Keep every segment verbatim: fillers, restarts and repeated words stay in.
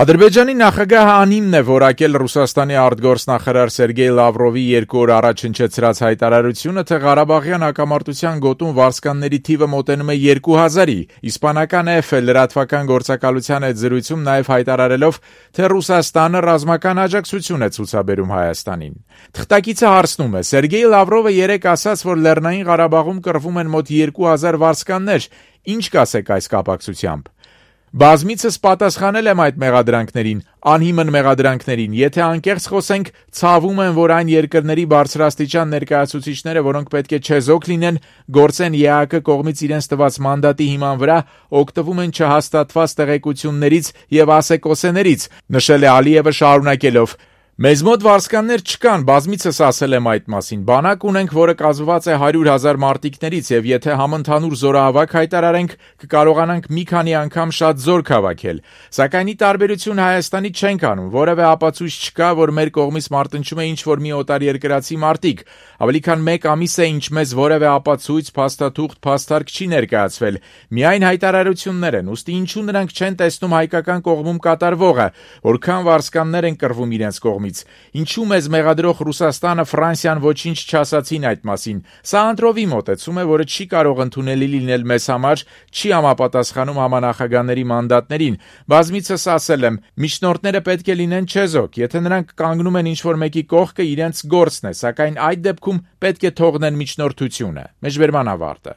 Ադրբեջանի նախագահը անհիմն է որակել Ռուսաստանի արտգործնախարար Սերգեյ Լավրովի երկու օր առաջ հնչեցրած հայտարարությունը, թե Ղարաբաղյան հակամարտության գոտում վարձկանների թիվը մոտենում է երկու հազարի։ Իսպանական Էֆ լրատվական գործակալության հետ զրույցում նաև հայտարարելով, թե Ռուսաստանը ռազմական աջակցություն է ցուցաբերում Հայաստանին։ Թղթակիցը հարցնում է. Սերգեյ Լավրովը երեկ ասաց, որ Լեռնային Ղարաբաղում կռվում են մոտ երկու հազար վարձկաններ։ Ինչ կասեք այս կապակցությամբ։ Բազմիցս պատասխանել եմ այդ մեղադրանքներին, անհիմն մեղադրանքներին, եթե անկեղծ խոսենք, ցավում եմ, որ այն երկրների բարձրաստիճան ներկայացուցիչները, որոնք պետք է չեզոք լինեն, գործեն ԵԱՀԿ կողմից իրենց տված մանդատի հիման վրա, օգտվում են չհաստատված տեղեկություններից եւ ասեկոսեներից, նշել է Ալիևը շարունակելով. Մեզ մոտ վարձկաններ չկան, բազմիցս ասել եմ այդ մասին, բանակ ունենք, որը կազմված է հարյուր հազար մարտիկներից եւ եթե համընդհանուր զորահավաք հայտարարենք, կկարողանանք մի քանի անգամ շատ զորք հավաքել, սակայն ի տարբերություն Հայաստանի չենք անում, որևէ ապացույց չկա, որ մեր կողմից մարտնչում է ինչ-որ մի օտարերկրացի մարտիկ, ավելի քան մեկ ամիս է, ինչ մեզ որևէ ապացույց, փաստաթուղթ, փաստարկ չի ներկայացվել, միայն հայտարարություններ են, ուստի ինչու նրանք չեն տեսնում հայկական կողմում կատարվողը, որքան վարձկաններ են կռվում իրենց կողմից։ Ինչու մեզ մեղադրող Ռուսաստանը, Ֆրանսիան ոչինչ չասացին այդ մասին։ Սա ընտրովի մոտեցում է, որը չի կարող ընդունելի լինել մեզ համար, չի համապատասխանում համանախագահների մանդատներին։ Բազմիցս ասել եմ, միջնորդները պետք է լինեն չեզոք, եթե նրանք կանգնում են ինչ-որ մեկի կողքը, իրենց գործն է, սակայն այդ դեպքում պետք է թողնեն միջնորդությունը։ Մեջբերման ավարտը։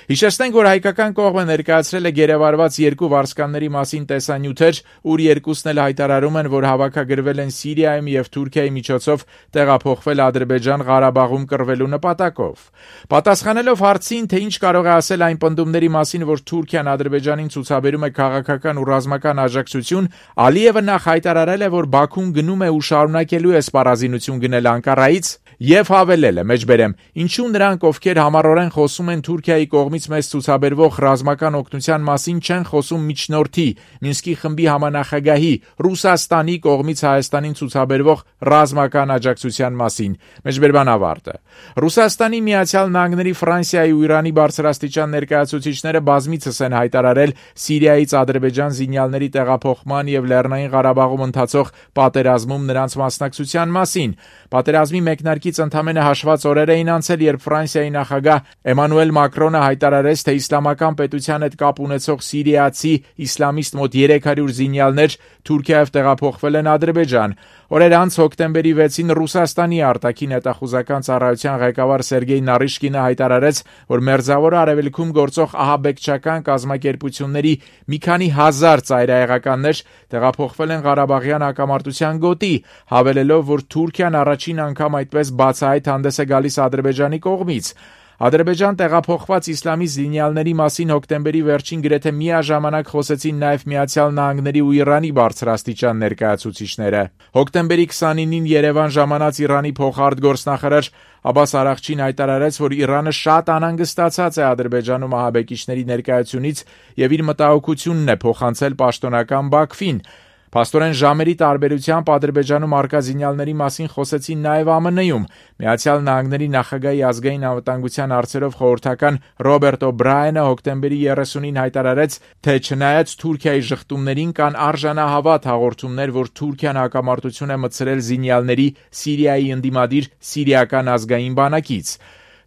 Հիշեցնենք, որ հայկական կողմը ներկայացրել է գերեվարված երկու վարձկանների մասին տեսանյութեր, ուր երկուսն էլ հայտարարում են, որ հավաքագրվել են Սիրիայում եւ Թուրքիայի միջոցով տեղափոխվել Ադրբեջան Ղարաբաղում կռվելու նպատակով։ Պատասխանելով հարցին, թե ինչ կարող է ասել այն պնդումների մասին, որ Թուրքիան Ադրբեջանին ցուցաբերում է քաղաքական ու ռազմական աջակցություն, Ալիևը նախ հայտարարել է, որ Բաքուն գնում է ու շարունակելու է սպառազինություն գնել Անկարայից եւ հավելել է. մեջբերեմ, ինչու նրանք, ովքեր համառորեն խոսում են Թուրքիայի կողմից մեզ ցուցաբերվող ռազմական օգնության մասին, չեն խոսում միջնորդի, Մինսկի խմբի համանախագահի, Ռուսաստանի կողմից Հայաստանին ցուցաբերվող ռազմական աջակցության մասին։ Մեջբերման ավարտը։ Ռուսաստանի, Միացյալ Նահանգների, Ֆրանսիայի ու Իրանի բարձրաստիճան ներկայացուցիչները բազմիցս են հայտարարել Սիրիայից Ադրբեջան զինյալների տեղափոխման եւ Լեռնային Ղարաբաղում ընթացող պատերազմում նրանց մասնակցության մասին։ Պատերազմի մեկնարկից ընդամենը հաշված օրեր էին անցել, երբ Ֆրանսիայի նախագահ Էմանուել Մակրոնը հայտարարեց, թե իսլամական պետության հետ կապ ունեցող սիրիացի իսլամիստ մոտ երեք հարյուր զինյալներ Թուրքիայով տեղափոխվել են Ադրբեջան։ Օրեր անց հոկտեմբերի վեցին Ռուսաստանի արտաքին հետախուզական ծառայության ղեկավար Սերգեյ Նարիշկինը հայտարարեց, որ Մերձավոր Արևելքում գործող ահաբեկչական կազմակերպությունների մի քանի հազար ծայրահեղականներ տեղափոխվել են Ղարաբաղյան հակամարտության գոտի, հավելելով, որ Թուրքիան առաջին անգամ այդպես բացահայտ հանդես է գալիս Ադրբեջանի կողմից։ Ադրբեջան տեղափոխված իսլամի զինյալների մասին հոկտեմբերի վերջին գրեթե միաժամանակ խոսեցին նաև Միացյալ Նահանգների ու Իրանի բարձրաստիճան ներկայացուցիչները։ Հոկտեմբերի քսանինին Երևան ժամանած Իրանի փոխարտգործնախարար Աբբաս Արաղչին հայտարարեց, որ Իրանը շատ անհանգստացած է Ադրբեջանում ահաբեկիչների ներկայությունից եւ իր մտահոգությունն է փոխանցել պաշտոնական Բաքվին։ Փաստորեն ժամերի տարբերությամբ Ադրբեջանում արկա զինյալների մասին խոսեցին նաև ԱՄՆ-ում։ Միացյալ Նահանգների նախագահի ազգային անվտանգության հարցերով խորհրդական Ռոբերտ Օ'Բրայենը հոկտեմբերի երեսունին հայտարարեց, թե չնայած Թուրքիայի շղթումներին կան արժանահավատ հաղորդումներ, որ Թուրքիան հակամարտություն է մտցրել զինյալների Սիրիայի ընդդիմադիր Սիրիական ազգային բանակից։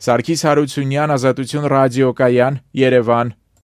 Սարգիս Հարությունյան, Ազատություն ռադիոկայան, Երևան,